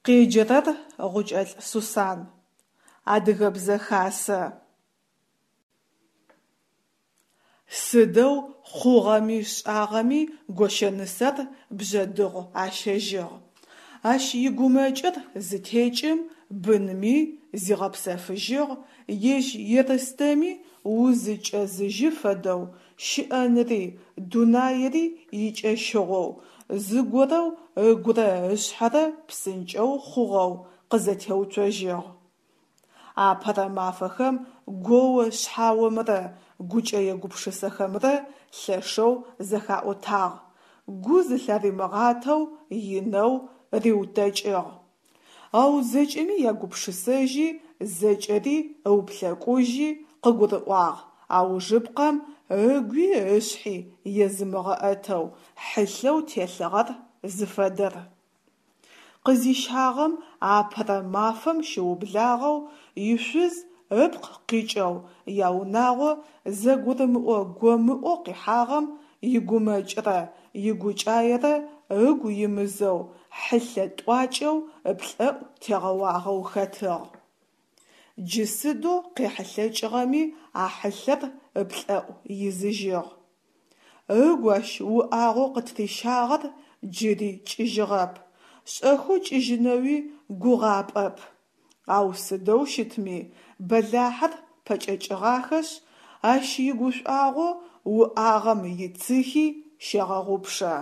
Къеджэрэр Гъукӏэлӏ Сусан. Адыгэбзэ хасэ. Сыдэу хъугъэми шӏагъэми гощэнысэр Бжъэдыгъу ащэжьыгъ. Ащ игумэкӏыр зытекӏым бынми зигъэпсэфыжьыгъ, ежь Ерстэми узыкӏэзыжьы фэдэу, щыӏэныри, дунаири икӏэщыгъоу, зыгорэу ыгурэ ышъхьэрэ псынкӏэу хъугъэу къызэтеуцожьыгъ. Апэрэ мафэхэм гоо-шъхьаомрэ гукӏэе-гупшысэхэмрэ лъэшэу зэхаӏотагъ, гу зылъаримыгъатэу инэу риутэкӏыгъ. Ау зэкӏэми ягупшысэжьи, зэкӏэри ыуплъэкӏужьи къыгурыӏуагъ аужыпкъэм ыгуи ышъхьи езымыгъэӏэтэу хьылъэу телъыгъэр зыфэдэр. Къызищагъэм апэрэ мафэм щыублагъэу ишъуз ыпкъ къикӏэу яунагъо зэгурымыӏо-гомыӏоу къихьагъэм игумэкӏрэ игукӏаерэ ыгу имызэу хьылъэ тӏуакӏэу ыплӏэӏу тегъэуагъэу хэтыгъ. Джы сыдэу къехьылъэкӏыгъэми а хьылъэр ыплӏэӏу изыжьыгъ. Ыгу ащ уӏагъэу къытырищагъэр джыри кӏыжьыгъэп, шӏэхэу кӏыжьынэуи гугъапӏэп. Ау сыдэу щытми, бэлахьыр пэкӏэкӏыгъахэшъ, ащ игушӏуагъо уӏагъэм ицыхи щегъэгъупшэ.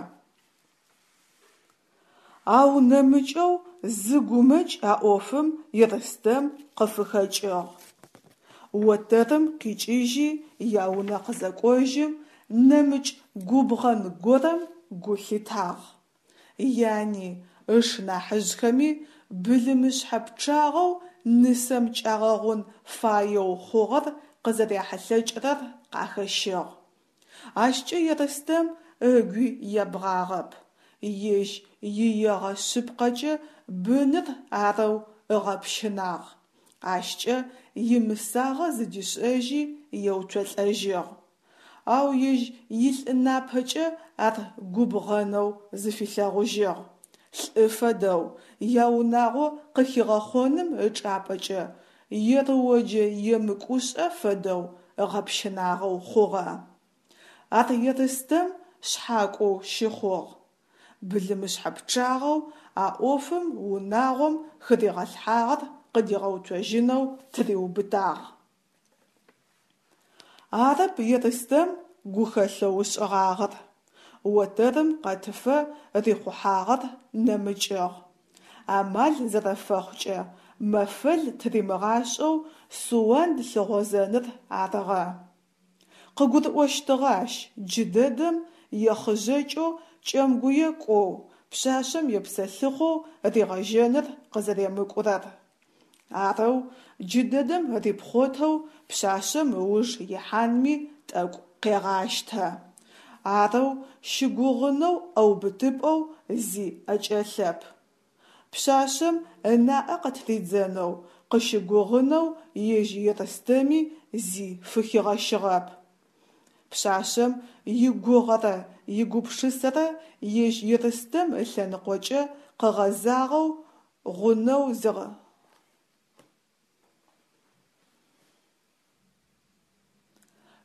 Ау нэмыкӏэу зы гумэкӏ а ӏофым Ерстэм къыфыхэкӏыгъ. Отэрым къикӏыжьи яунэ къызэкӏожьым, нэмыкӏ губгъэн горэм гу лъитагъ. Яни, ыш нахьыжъхэми былымышъхьэ пчъагъэу нысэм кӏагъэгъун фаеу хъугъэр къызэряхьылъэкӏырэр къахэщыгъ. Ащкӏэ Ерстэм ыгуи ебгъагъэп, ежь иегъэ шъыпкъэкӏэ быныр арэу ыгъэпщынагъ, ащкӏэ имысагъэ зыдишӏэжьи еуцолӏэжьыгъ. Ау ежь илӏы напэкӏэ ар губгъэнэу зыфилъэгъужьыгъ. Лӏы фэдэу, яунагъо къыхигъэхъоным ычӏапӏэкӏэ ерыоджэ емыкӏушӏэ фэдэу ыгъэпщынагъэу хъугъэ. Ар Ерстэм шъхьакӏоу щыхъугъ. Былымышъхьэ пчъагъэу а ӏофым унагъом хыригъэлъхьагъэр къыдигъэуцожьынэу тыриубытагъ. Арэп Ерстэм гухэлъэу ышӏыгъагъэр. Отэрым къэтыфэ рихъухьагъэр нэмыкӏыгъ. Амал зэрэфэхъукӏэ мэфэл тыримыгъашӏэу Суанд лъыгъозэныр арыгъэ. Къыгурыӏощтыгъэ ащ джыдэдэм ехъыжьэкӏэу Кӏэмгуе кӏоу, пшъашъэм епсэлъыхъоу ригъэжьэныр къызэремыкӏурэр. Арэу джыдэдэм рипхъотэу пшъашъэм ыуж ихьанми тӏэкӏу къегъащтэ. Арэу щыгугъынэу ӏэубытыпӏэу зи ӏэкӏэлъэп. Пшъашъэм ынаӏэ къытыридзэнэу, къыщыгугъынэу ежь Ерстэми зи фыхигъэщыгъэп. Пшъашъэм игугъэрэ игупшысэрэ ежь Ерстэм ылъэныкъокӏэ къэгъэзагъэу гъунэу зигъ.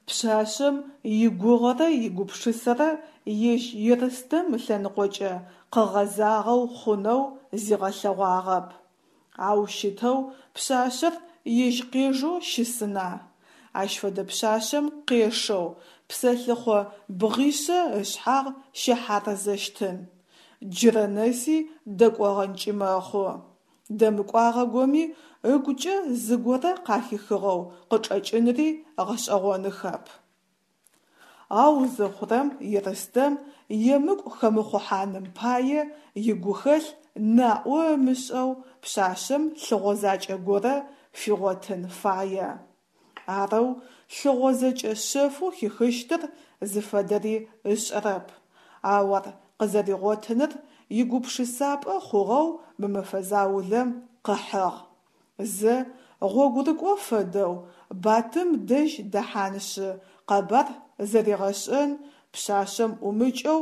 Пшъашъэм игугъэрэ игупшысэрэ ежь Ерстэм ылъэныкъокӏэ къэгъэзагъэу хъунэу зигъэлъэгъуагъэп. Ау щытэу пшъашъэр ежь къежэу щысына? Ащ фэдэ пшъашъэм къешэу, псэлъыхъо бгъишъэ ышъхьагъ щэхьарзэщтын. Джырэ нэси дэкӏогъэнкӏи мэхъу. Дэмыкӏуагъэгоми ыгукӏэ зыгорэ къахихыгъэу къычӏэкӏынри гъэшӏэгъоныхэп. Ау зыхъурэм Ерстэм емыкӏу хэмыхъухьаным пае игухэлъ наӏо ымышӏэу пшъашъэм лъыгъозакӏэ горэ фигъотын фае. Арэу лъыгъозэкӏэ шъэфэу хихыщтыр зыфэдэри ышӏэрэп, ау ар къызэригъотыныр игупшысапӏэ хъугъэу мы мэфэ заулэм къыхьыгъ. Зэ гъогурыкӏо фэдэу Батым дэжь дэхьаншъы къэбар зэригъэшӏэн, пшъашъэм ӏумыкӏэу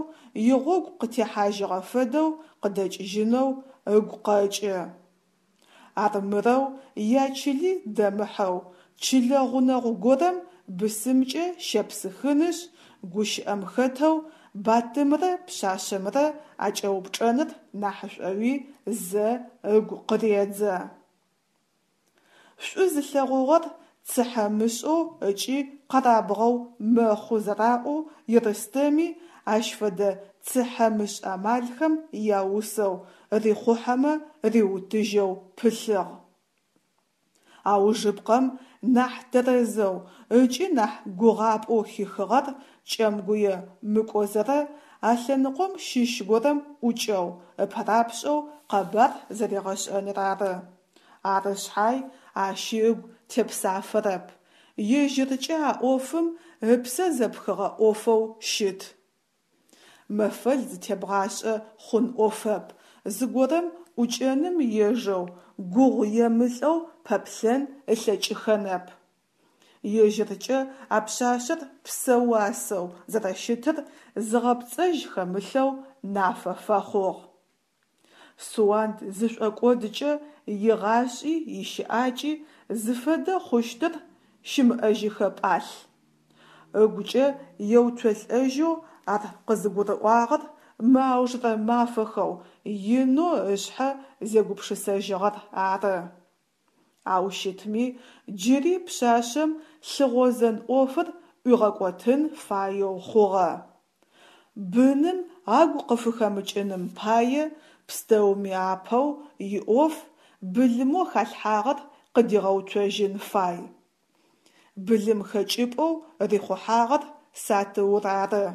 игъогу къытехьажьыгъэ фэдэу къыдэкӏыжьынэу ыгу къэкӏы. Армырэу ячыли дэмыхьэу, чылэ гъунэгъу горэм бысымкӏэ щепсыхынышъ, гущыӏэм хэтэу Батымрэ пшъашъэмрэ акӏэупчӏэныр нахьышӏоуи зэ ыгу къыредзэ. Шӏу зылъэгъугъэр цыхьэмышӏэу ыкӏи къэрабгъэу мэхъу зэраӏоу Ерстэми ащ фэдэ цыхьэмышӏ амалхэм яусэу, рихъухьэмэ риутыжьэу пылъыгъ. Аужыпкъэм нахь тэрэзэу ыкӏи нахь гугъапӏэу хихыгъэр Кӏэмгуе мыкӏозэрэ а лъэныкъом щыщ горэм ӏукӏэу, ыпэрапшӏэу къэбар зэригъэшӏэныр ары. Ары шъхьай, ащи ыгу тепсафэрэп. Ежьыркӏэ а ӏофым ыпсэ зэпхыгъэ ӏофэу щыт. Мэфэл зытебгъашӏэ хъун ӏофэп, зыгорэм ӏукӏэным ежэу, гугъу емылӏэу пэплъэн ылъэкӏыхэнэп. Ежьыркӏэ а пшъашъэр псэ уасэу зэрэщытыр зыгъэпцӏэжь хэмылъэу нафэ фэхъугъ. Суанд зышӏокӏодкӏэ игъашӏи ищыӏакӏи зыфэдэ хъущтыр щымыӏэжьыхэ пӏалъ. Ыгукӏэ еуцолӏэжьэу ар къызыгурыӏуагъэр мы аужырэ мафэхэу инэу ышъхьэ зегупшысэжьыгъэр ары. Ау щытми, джыри пшъашъэм лъыгъозэн ӏофыр ӏуигъэкӏотын фаеу хъугъэ. Быным агу къыфыхэмыкӏыным пае пстэуми апэу иӏоф былымэу халъхьагъэр къыдигъэуцожьын фай. Былым хэкӏыпӏэу рихъухьагъэр сатыур ары.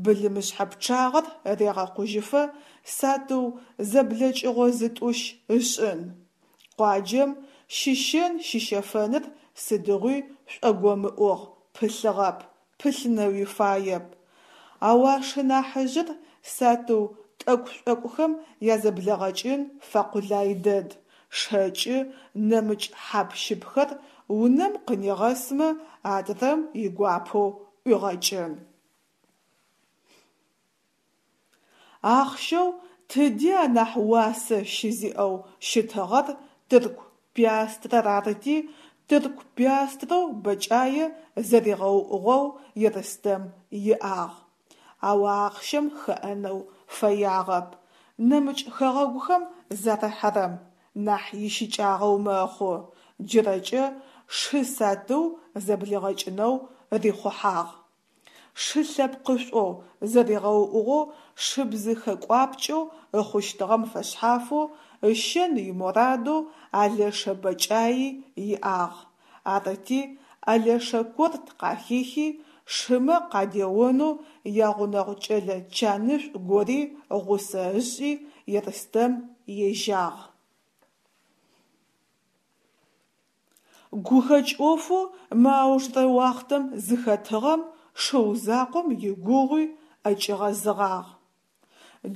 Былымышъхьэ пчъагъэр регъэкъужьыфэ сатыу зэблэкӏыгъо зытӏущ ышӏын. Къуаджэм щыщэн-щыщэфэныр сыдигъуи шӏогомыӏугъ, пылъыгъэп, пылъынэуи фаеп. Ау а шынахьыжъыр сатыу тӏэкӏу-шӏокӏухэм язэблэгъэкӏын фэкъулай дэд, шэкӏы, нэмыкӏ хьап-щыпхэр унэм къынигъэсмэ, адрэм игуапэу ӏуигъэкӏын. Ахъщэу тыди анахь уасэ щызиӏэу щытыгъэр тырку пиастрэр арыти, тырку пиастрэу бэкӏае зэригъэуӏугъэу Ерстэм иӏагъ. Ау а ахъщэм хэӏэнэу фэягъэп, нэмыкӏ хэгъэгухэм зарыхьэрэм, нахь ищыкӏагъэу мэхъу, джырэкӏэ шы сатыу зэблигъэкӏынэу рихъухьагъ. Шы лъэпкъышӏоу, зэригъэуӏугъэу шыбзыхэ кӏуапкӏэу ыхъущтыгъэм фэшъхьафэу ыщэн имурадэу алэшэ бэкӏаи иӏагъ. Арыти, алэшэ корт къахихи, шымэ къадеонэу ягъунэгъу кӏэлэ чанышӏу гори гъусэ ышӏи, Ерстэм ежьагъ. Гухэкӏ ӏофэу мы аужырэ уахътэм зыхэтыгъэм шыу закъом игугъуи ӏэкӏигъэзыгъагъ.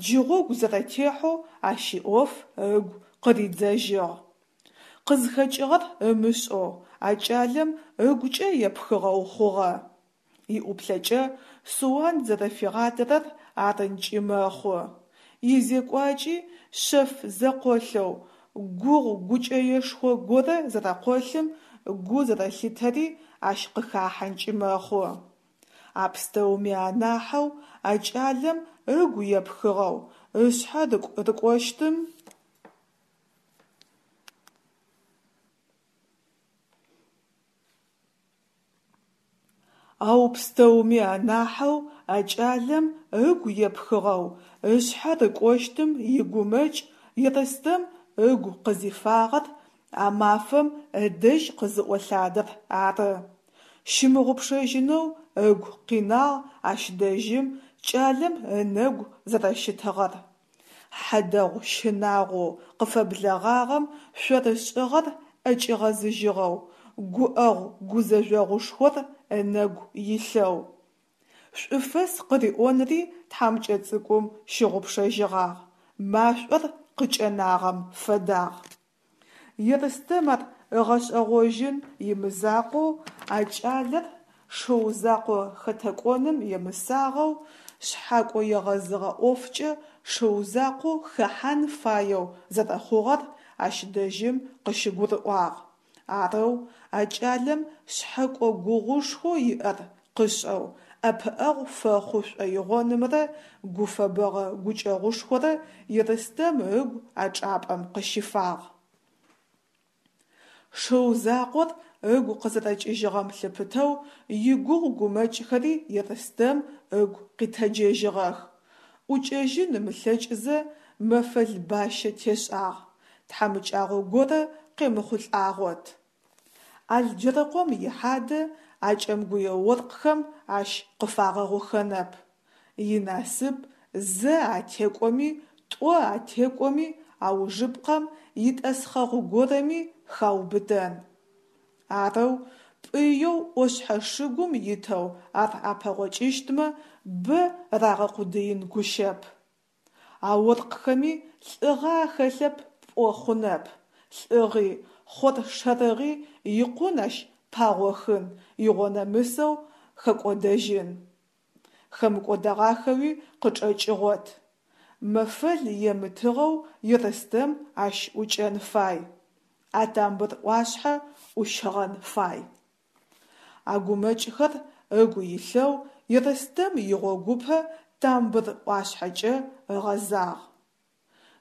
Джы гъогу зэрэтехьэу ащ иӏоф ыгу къыридзэжьыгъ. Къызхэкӏыгъэр ымышӏэу а кӏалэм ыгукӏэ епхыгъэу хъугъэ. Иӏуплъэкӏэ Суанд зэрэфигъадэрэр арынкӏи мэхъу. Изекӏуакӏи шъэф зэкъолъэу, гугъу-гукӏэешхо горэ зэрэкъолъым гу зэрэлъитэри ащ къыхахьэнкӏи мэхъу. А пстэуми анахьэу а кӏалэм ыгу епхыгъэу, ышъхьэ рыкӏощтым. Ау пстэуми анахьэу а кӏалэм ыгу епхыгъэу, ышъхьэ рыкӏощтым игумэкӏ Ерстэм ыгу къызифагъэр а мафэм ыдэжь къызыӏолъадэр ары. Щымыгъупшэжьынэу ыгу къинагъ ащ дэжьым кӏалэм ынэгу зэрэщытыгъэр. Хьадэгъу щынагъоу къыфэблэгъагъэм шъорышӏыгъэр ӏэкӏигъэзыжьыгъэу, гуӏэгъу-гузэжъогъушхор ынэгу илъэу. Шӏуфэс къыриӏонри тхьамыкӏэ цӏыкӏум щыгъупшэжьыгъагъ, машӏор къыкӏэнагъэм фэдагъ. Ерстэм ар ыгъэшӏэгъожьын имызакъоу, а кӏалэр шыу закъо хэтэкӏоным емысагъэу, шъхьакӏо егъэзыгъэ ӏофкӏэ шыу закъоу хэхьан фаеу зэрэхъугъэр ащ дэжьым къыщыгурыӏуагъ. Арэу а кӏалэм шъхьэкӏо гугъушхоу иӏэр къышӏэу ӏэпыӏэгъу фэхъу шӏоигъонымрэ гуфэбэгъэ гукӏэгъушхорэ Ерстэм ыгу а чӏапӏэм къыщифагъ. Шыу закъор ыгу къызэрэкӏыжьыгъэм лъыпытэу игугъу гумэкӏхэри Ерстэм ыгу къитэджэжьыгъэх. ӏукӏэжьын ымылъэкӏызэ мэфэл бащэ тешӏагъ, тхьамыкӏагъо горэ къемыхъулӏагъот. Алджэрыкъом ихьадэ а кӏэмгуе оркъхэм ащ къыфагъэгъухэнэп. Инасып зэ атекӏоми, тӏо атекӏоми, аужыпкъэм итӏэсхъэгъу горэми хаубытэн. Арэу пӏыеу ӏошъхьэ шыгум итэу ар апэгъокӏыщтмэ, бэ рагъэкъудыин гущэп. А оркъхэми лӏыгъэ ахэлъэп пӏо хъунэп, лӏыгъи, хъоршэрыгъи икъун ащ пагъохын, игъонэмысэу хэкӏодэжьын. Хэмыкӏодэгъахэуи къычӏэкӏыгъот. Мэфэл емытыгъэу Ерстэм ащ ӏукӏэн фай. А тамбыр ӏуашъхьэ ӏущыгъэн фай. А гумэкӏхэр ыгу илъэу Ерстэм игъогупэ тамбыр ӏуашъхьэкӏэ ыгъэзагъ.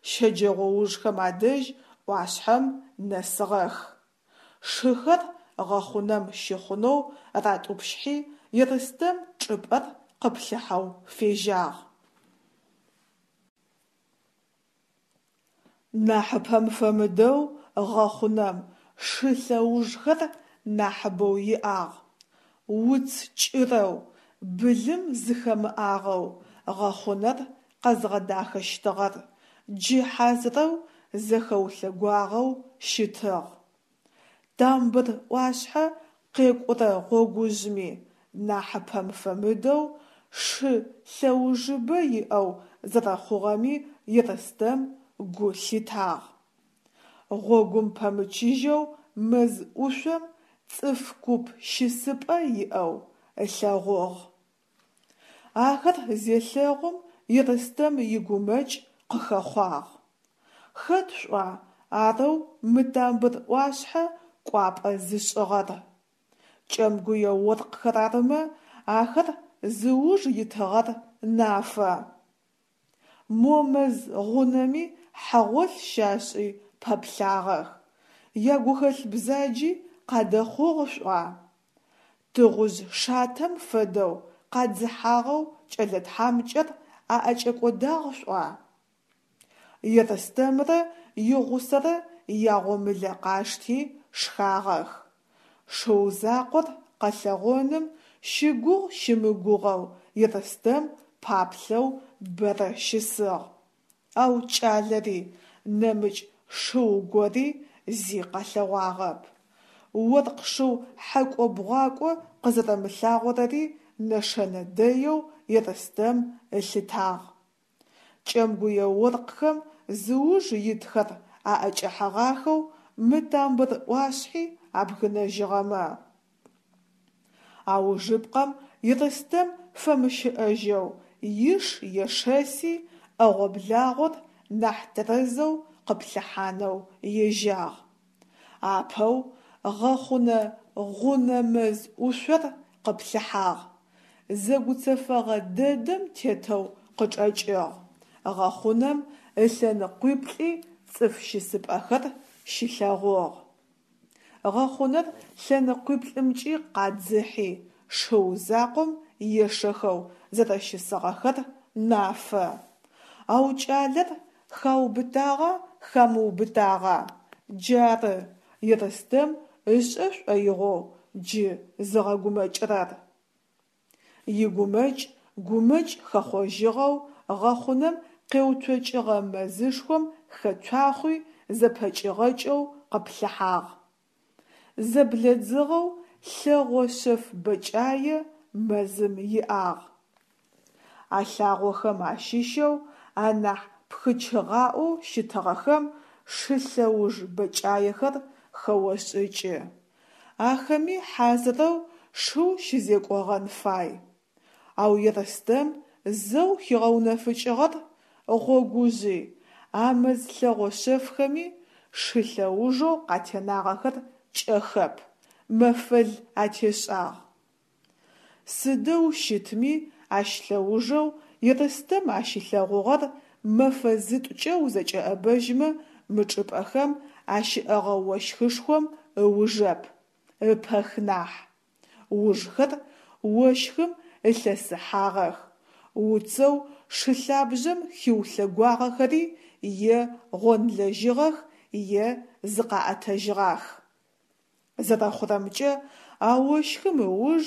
Щэджэгъоужхэм адэжь ӏуашъхьэм нэсыгъэх. Шыхэр гъэхъунэм щыхъунэу ратӏупщхьи, Ерстэм чӏыпӏэр къыплъыхьэу фежьагъ. Нахьыпэм фэмыдэу гъэхъунэм шы лъэужхэр нахьыбэу иӏагъ. Уц кӏырэу, былым зыхэмыӏагъэу гъэхъунэр къэзгъэдахэщтыгъэр джы хьазырэу зэхэулъэгуагъэу щытыгъ. Тамбыр ӏуашъхьэ къекӏурэ гъогужъми, нахьыпэм фэмыдэу, шы лъэужыбэ иӏэу зэрэхъугъэми Ерстэм гу лъитагъ. Гъогум пэмычыжьэу мэз ӏушъом цӏыф куп щысыпӏэ иӏэу ылъэгъугъ. Ахэр зелъэгъум Ерстэм игумэкӏ къыхэхъуагъ. Хэт шӏуа арэу мы тамбыр ӏуашъхьэ кӏуапӏэ зышӏыгъэр? Кӏэмгуе оркъхэр арымэ, ахэр зыуж итыгъэр нафэ. Мо мэз гъунэми хьэгъолъ щашӏи пэплъагъэх, ягухэлъ бзаджи къадэхъугъ шӏуа? Тыгъужъ шатэм фэдэу къадзыхьагъэу кӏэлэ тхьамыкӏэр аӏэкӏэкӏодагъ шӏуа? Ерстэмрэ игъусэрэ ягъомылэ къашти шхагъэх. Шыу закъор къэлъэгъоным щыгугъ-щымыгугъэу Ерстэм паплъэу бэрэ щысыгъ. Ау кӏалэри, нэмыкӏ шыу гори зи къэлъэгъуагъэп. Оркъ шыу хьэкӏо-бгъуакӏо къызэрэмылъагъорэри нэшэнэ дэеу Ерстэм ылъытагъ. Кӏэмгуе оркъхэм зыуж итхэр аӏэкӏэхьэгъахэу мы тамбыр ӏуашъхьи абгынэжьыгъэмэ. Аужыпкъэм Ерстэм фэмыщыӏэжьэу иш ешэси, ӏэгъо-благъор нахь тэрэзэу къыплъыхьанэу ежьагъ. Апэу гъэхъунэ гъунэ мэз ӏушъор къыплъыхьагъ. Зэгуцэфэгъэ дэдэм тетэу къычӏэкӏыгъ. Гъэхъунэм ылъэныкъуиплӏи цӏыф щысыпӏэхэр щилъэгъугъ. Гъэхъунэр лъэныкъуиплӏымкӏи къадзыхьи, шыу закъом ешэхэу зэрэщысыгъэхэр нафэ. Ау кӏалэр хаубытагъа хамыубытагъа? Джары Ерстэм ышӏэ шӏоигъоу джы зыгъэгумэкӏырэр. Игумэкӏ гумэкӏ хэхъожьыгъэу гъэхъунэм къеуцокӏыгъэ мэзышхом хэцуахъуи зэпэкӏигъэкӏэу къыплъыхьагъ. Зэблэдзыгъэу лъэгъо шъэф бэкӏае мэзым иӏагъ. А лъагъохэм ащыщэу анахь пхычыгъаӏоу щытыгъэхэм шы лъэуж бэкӏаехэр хэошӏыкӏы. Ахэми хьазырэу шыу щызекӏогъэн фай. Ау Ерстэм зэу хигъэунэфыкӏыгъэр. гъогужъи, а мэз лъэгъо шъэфхэми шы лъэужэу къатенагъэхэр кӏэхэп, мэфэл атешӏагъ. Сыдэу щытми, ащ лъэужэу Ерстэм ащилъэгъугъэр мэфэ зытӏукӏэ узэкӏэӏэбэжьмэ мы чӏыпӏэхэм ащыӏэгъэ ощхышхом ыужэп, ыпэх нахь. Ужхэр ощхым ылъэсыхьагъэх, уцэу шы лъабжъэм хиулъэгуагъэхэри е гъонлэжьыгъэх, е зыкъаӏэтыжьыгъах. Зэрэхъурэмкӏэ, а ощхым ыуж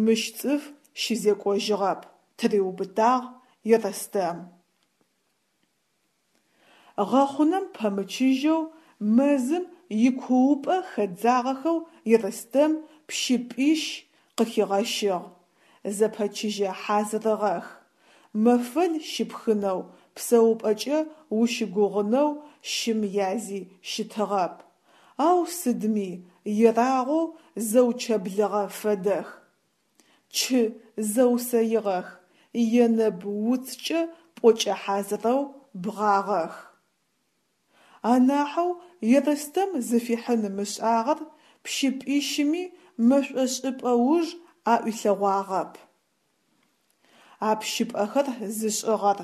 мыщ цӏыф щызекӏожьыгъэп, тыриубытагъ Ерстэм. Гъэхъунэм пэмычыжьэу мэзым икуупӏэ хэдзагъэхэу Ерстэм пщыпӏищ къыхигъэщыгъ, зэпэчыжьэ хьазырыгъэх. Мэфэл щыпхынэу, псэупӏэкӏэ ущыгугъынэу щым язи щытыгъэп. Ау сыдми, ерагъоу зэучэблыгъэ фэдэх. Чы зэусэигъэх, енэб уцкӏэ пӏокӏэ хьазырэу бгъагъэх. Анахьэу Ерстэм зыфихьын ымышӏагъэр пщыпӏищыми мэшӏо шӏыпӏэ уж аӏуилъэгъуагъэп. А пщыпӏэхэр зышӏыгъэр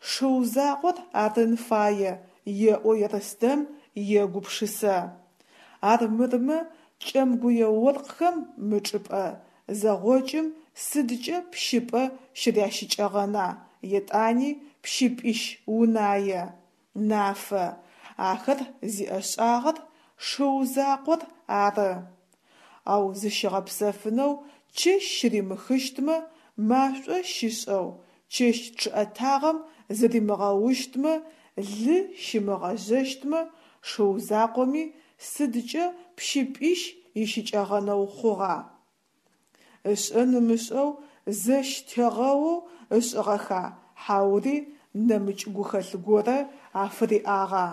шыу закъор арын фае, еӏо Ерстэм егупшысэ. Армырмэ кӏэмгуе оркъхэм мы чӏыпӏэ зэгъокӏым сыдкӏэ пщыпӏэ щырящыкӏэгъэна, етӏани пщыпӏищ унае. Нафэ, ахэр зиӏэшӏагъэр шыу закъор ары. Ау зыщигъэпсэфынэу чэщ щыримыхыщтмэ, машӏо щишӏэу, чэщ чъыӏэтагъэм зыримыгъэущтмэ, лы щимыгъэжъэщтмэ, шыу закъоми сыдкӏэ пщыпӏищ ищыкӏэгъэнэу хъугъа? Ышӏэн ымышӏэу зэщ тегъэоу ышӏыгъэха хьаури нэмыкӏ гухэлъ горэ афыриӏагъа?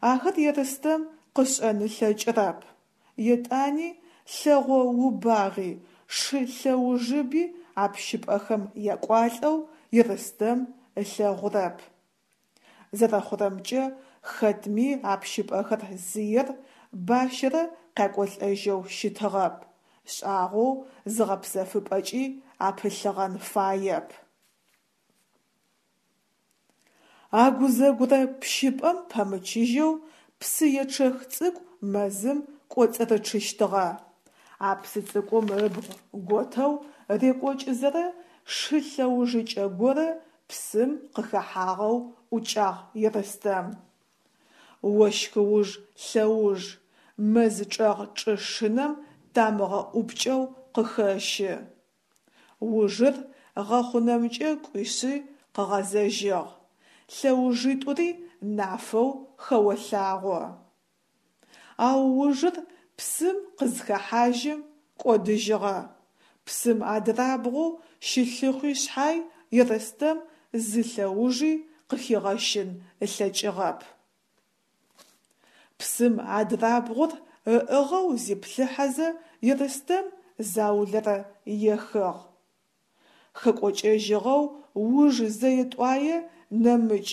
Ахэр Ерстэм къышӏэн ылъэкӏырэп. Етӏани лъэгъо убагъи, шы лъэужыби а пщыпӏэхэм якӏуалӏэу Ерстэм ылъэгъурэп. Зэрэхъурэмкӏэ, хэтми а пщыпӏэхэр зыер бащэрэ къякӏолӏэжьэу щытыгъэп, шӏагъоу зыгъэпсэфыпӏэкӏи апылъыгъэн фаеп. Агузэгурэ пщыпӏэм пэмычыжьэу псыечъэх цӏыкӏу мэзым кӏоцӏырычъыщтыгъэ. А псы цӏыкӏум ыбгъу готэу рекӏокӏызэрэ шы лъэужыкӏэ горэ псым къыхэхьагъэу ӏукӏагъ Ерстэм. Ощхыуж лъэуж, мэз чӏэгъ чӏы шынэм тамыгъэ ӏупкӏэу къыхэщы. Ужыр гъэхъунэмкӏэ кӏуишъи къыгъэзэжьыгъ. Лъэужитӏури нафэу хэолъагъо. Ау ужыр псым къызхэхьажьым кӏодыжьыгъэ. Псым адырабгъоу щылъыхъуи шъхьай Ерстэм зы лъэужи къыхигъэщын ылъэкӏыгъэп. Псым адырабгъур ыӏыгъэу зиплъыхьэзэ Ерстэм заулэрэ ехыгъ. Хэкӏокӏэжьыгъэу уж зэе-тӏуае нэмыкӏ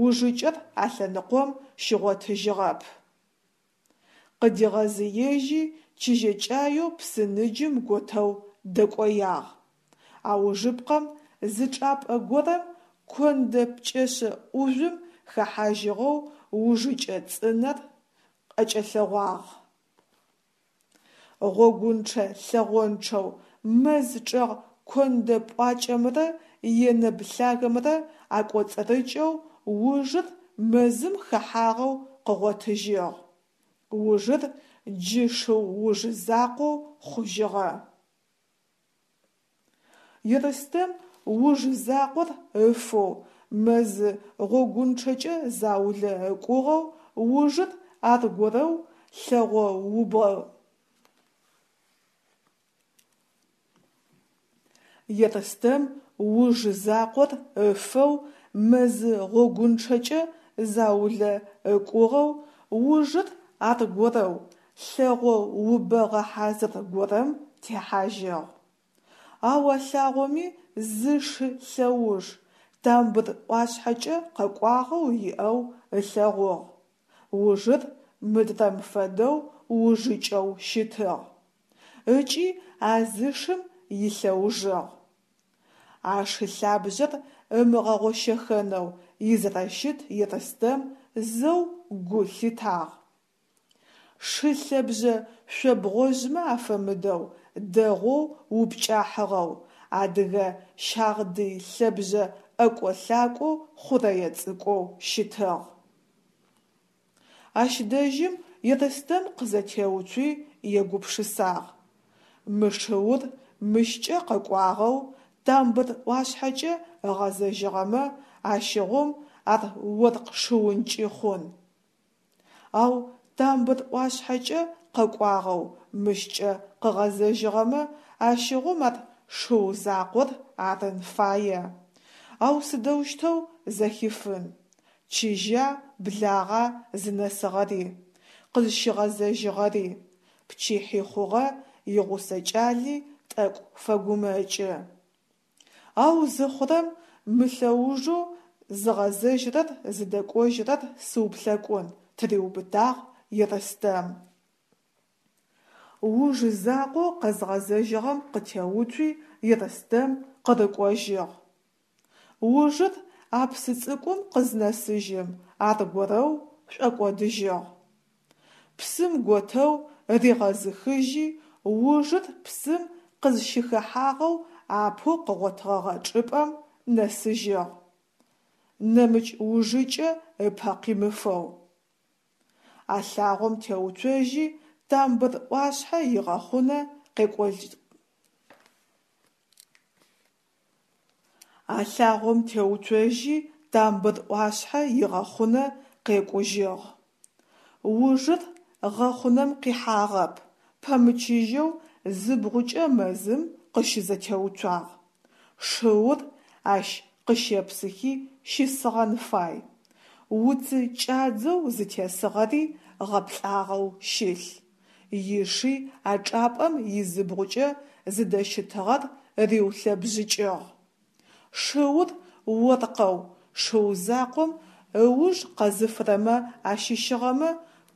ужыкӏэр а лъэныкъом щигъотыжьыгъэп. Къыдигъэзыежьи чыжьэкӏаеу псы ныджым готэу дэкӏоягъ. Аужыпкъэм зы чӏапӏэ горэм кондэ пкӏэшъэ ӏужъум хэхьажьыгъэу ужыкӏэ цӏынэр ӏэкӏэлъэгъуагъ. Гъогунчъэ-лъэгъончъэу мэз чӏэгъ кондэ пӏуакӏэмрэ енэб лъагэмрэ акӏоцӏырыкӏэу ужыр мэзым хэхьагъэу къыгъотыжьыгъ. Ужыр джы шыу уж закъоу хъужьыгъэ. Ерстэм уж закъор ыфэу мэзы гъогунчъэкӏэ заулэ ыкӏугъэу ужыр аргорэу лъэгъо убгъэ Ерстэм уж закъор ыфэу мэзы гъогунчъэкӏэ заулэ ыкӏугъэу ужыр аргорэу лъэгъо убэгъэ хьазыр горэм техьажьыгъ. Ау а лъагъоми зы шы лъэуж, Тамбыр ӏуашъхьэкӏэ къэкӏуагъэу иӏэу ылъэгъугъ. Ужыр мыдрэм фэдэу ужыкӏэу щытыгъ. Ыкӏи а зы шым илъэужыгъ. А шы лъабжъэр ымыгъэгъощэхэнэу изэрэщыт Ерстэм зэу гу лъитагъ. Шы лъэбжъэ шъобгъожъмэ афэмыдэу дэгъоу упкӏахьыгъэу, адыгэ щагъдый лъэбжъэ ӏэкӏо-лъакӏоу хъурэе цӏыкӏоу щытыгъ. Ащ дэжьым Ерстэм къызэтеуцуи егупшысагъ: Мы шыур мыщкӏэ къэкӏуагъэу Тамбыр ӏуашъхьэкӏэ ыгъэзэжьыгъэмэ, ащыгъум ар оркъ шыункӏи хъун. Ау Тамбыр ӏуашъхьэкӏэ къэкӏуагъэу мыщкӏэ къыгъэзэжьыгъэмэ, ащыгъум ар шыу закъор арын фае. Ау сыдэущтэу зэхифын? Чыжьа, благъа зынэсыгъэри, къызщигъэзэжьыгъэри, пчыхьи хъугъэ, игъусэ кӏали тӏэкӏу фэгумэкӏы. Ау зыхъурэм мы лъэужэу зыгъэзэжьырэр зыдэкӏожьырэр сыуплъэкӏун, тыриубытагъ Ерстэм. Уж закъоу къэзгъэзэжьыгъэм къытеуцуи Ерстэм къырыкӏожьыгъ. Ужыр а псы цӏыкӏум къызнэсыжьым аргорэу шӏокӏодыжьыгъ. Псым готэу ригъэзыхыжьи, ужыр псым къызщыхэхьагъэу апэу къыгъотыгъэгъэ чӏыпӏэм нэсыжьыгъ. Нэмыкӏ ужыкӏэ ыпэ къимыфэу. А лъагъом теуцожьи, Тамбыр ӏуашъхьэ игъэхъунэ къекӏолӏ. А лъагъом теуцожьи, Тамбыр ӏуашъхьэ игъэхъунэ къекӏужьыгъ. Ужыр гъэхъунэм къихьагъэп, пэмычыжьэу зыбгъукӏэ мэзым къыщызэтеуцуагъ. Шыур ащ къыщепсыхи щысыгъэн фай. Уцы кӏадзэу зытесыгъэри гъэплӏагъэу щылъ. Иши а чӏапӏэм изыбгъукӏэ зыдэщытыгъэр риулъэбжъыкӏыгъ. Шыур оркъэу, шыу закъом ыуж къэзыфырэмэ ащыщыгъэмэ,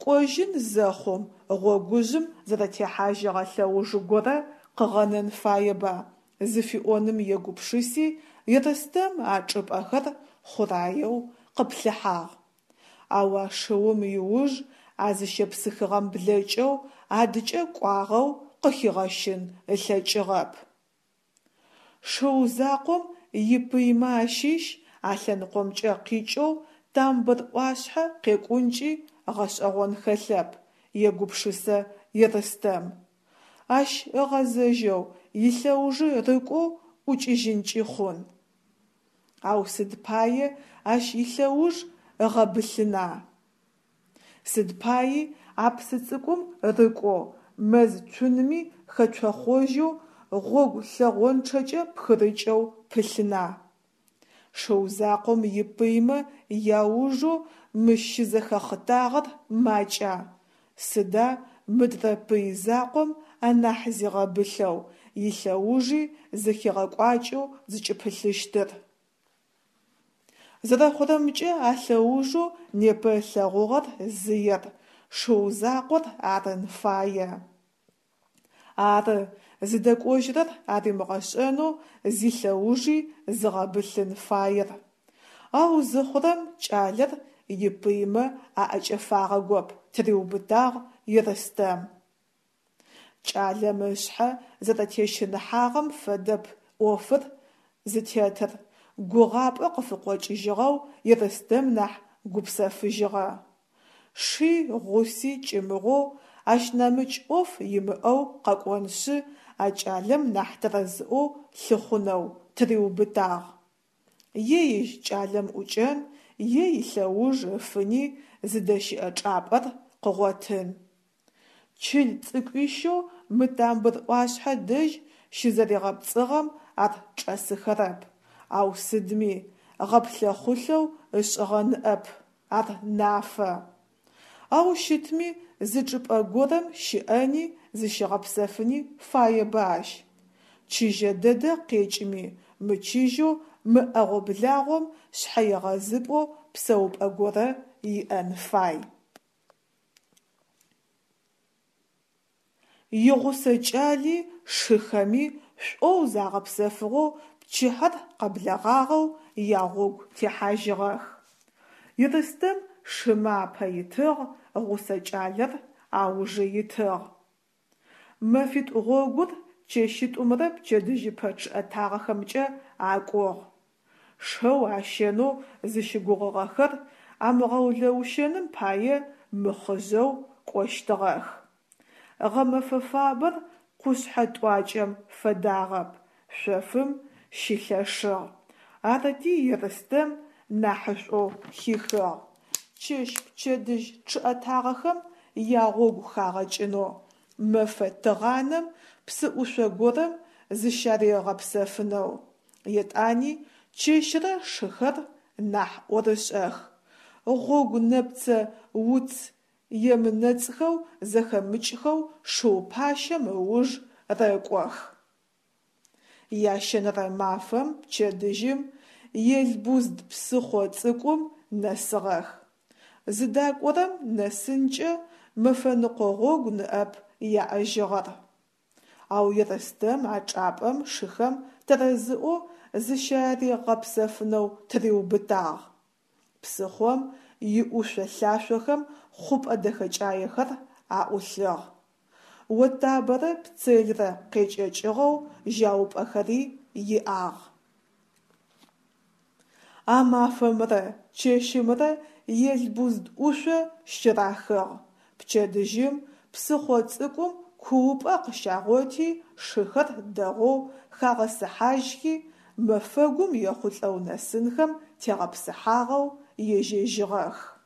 кӏожьын зэхъум гъогужъым зэрэтехьажьыгъэ лъэуж горэ къыгъэнэн фаеба зыфиӏоным егупшыси, Ерстэм а чӏыпӏэхэр хъураеу къыплъыхьагъ. Ау а шыум иуж а зыщепсыхыгъэм блэкӏэу адыкӏэ кӏуагъэу къыхигъэщын ылъэкӏыгъэп. Шыу закъом ипыймэ ащыщ а лъэныкъомкӏэ къикӏэу Тамбыр ӏуашъхьэ къекӏункӏи гъэшӏэгъон хэлъэп, егупшысэ Ерстэм. Ащ ыгъэзэжьэу, илъэужи рыкӏоу ӏукӏыжьынкӏи хъун. Ау сыд пае ащ илъэуж ыгъэбылъына? Сыд паи а псы цӏыкӏум рыкӏоу, мэз цунми хэцохъожьэу, гъогу лъэгъончъэкӏэ пхырыкӏэу пылъына? Шыу закъом ипыймэ яужэу мыщ щызэхэхъытагъэр макӏа? Сыда мыдрэ пый закъом анахь зигъэбылъэу, илъэужи зэхигъэкӏуакӏэу зыкӏыпылъыщтыр? Зэрэхъурэмкӏэ, а лъэужэу непэ ылъэгъугъэр зыер шыу закъор арын фае. Ары, зыдэкӏожьырэр аримыгъэшӏэнэу зилъэужи зыгъэбылъын фаер. Ау зыхъурэм кӏалэр ипыймэ аӏэкӏэфагъэгоп, тыриубытагъ Ерстэм. Кӏалэм ышъхьэ зэрэтещыныхьагъэм фэдэп ӏофыр зытетыр, гугъапӏэ къыфыкъокӏыжьыгъэу Ерстэм нахь гупсэфыжьыгъэ. Ши гъуси кӏымыгъоу, ащ нэмыкӏ ӏоф имыӏэу къэкӏоншъы, а кӏалэм нахь тэрэзыӏоу лъыхъунэу тыриубытагъ. Е ежь кӏалэм ӏукӏэн, е илъэуж ыфыни зыдэщыӏэ чӏапӏэр къыгъотын. Чыл цӏыкӏуищэу мы Тамбыр ӏуашъхьэ дэжь щызэригъэпцӏыгъэм ар чӏэсыхэрэп, ау сыдми, гъэплъэхъулъэу ышӏыгъэ ныӏэп, ар нафэ. Ау щытми зы чӏыпӏэ горэм щыӏэни зыщигъэпсэфыни фаеба ащ. Чыжьэ дэдэ къекӏыми, мычыжьэу мы ӏэгъо-благъом шъхьэегъэзыпӏэу псэупӏэ горэ иӏэн фай. Игъусэ кӏали шыхэми шӏоу загъэпсэфыгъэу пчыхьэр къэблэгъагъэу ягъогу техьажьыгъэх. Ерстэм шымэ апэ итыгъ, гъусэ кӏалэр аужы итыгъ. Мэфитӏу гъогур чэщитӏумрэ пчэдыжьыпэ чъыӏэтагъэхэмкӏэ акӏугъ. Шэу ащэнэу зыщыгугъыгъэхэр амыгъэулэущэным пае мыхъыжъэу кӏощтыгъэх. Гъэмэфэ фабэр къушъхьэ тӏуакӏэм фэдагъэп, шъофым щылъэшыгъ. Арыти Ерстэм нахьышӏоу хихыгъ: чэщ-пчэдыжь чъыӏэтагъэхэм ягъогу хагъэкӏынэу, мэфэ тыгъанэм псыӏушъо горэм зыщаригъэпсэфынэу. Етӏани чэщырэ шыхэр нахь ӏорышӏэх, гъогу нэпцэ уц емынэцӏхэу зэхэмыкӏхэу шыу пащэм ыуж рэкӏох. Ящэнэрэ мафэм пчэдыжьым Елбузд псыхъо цӏыкӏум нэсыгъэх. Зыдакӏорэм нэсынкӏэ мэфэныкъо гъогу ныӏэп яӏэжьыгъэр. Ау Ерстэм а чӏапӏэм шыхэм тэрэзыӏоу зыщаригъэпсэфынэу тыриубытагъ. Псыхъом иӏушъо-лъашъохэм хъупӏэ дэхэкӏаехэр аӏулъыгъ. Отабэрэ Пцелрэ къекӏэкӏыгъэу жьаупӏэхэри иӏагъ. А мафэмрэ чэщымрэ Елбузд ӏушъо щырахыгъ. Пчэдыжьым псыхъо цӏыкӏум куупӏэ къыщагъоти шыхэр дэгъоу хагъэсыхьажьхи, мэфэгум ехъулӏэу нэсынхэм тегъэпсыхьагъэу ежьэжьыгъэх.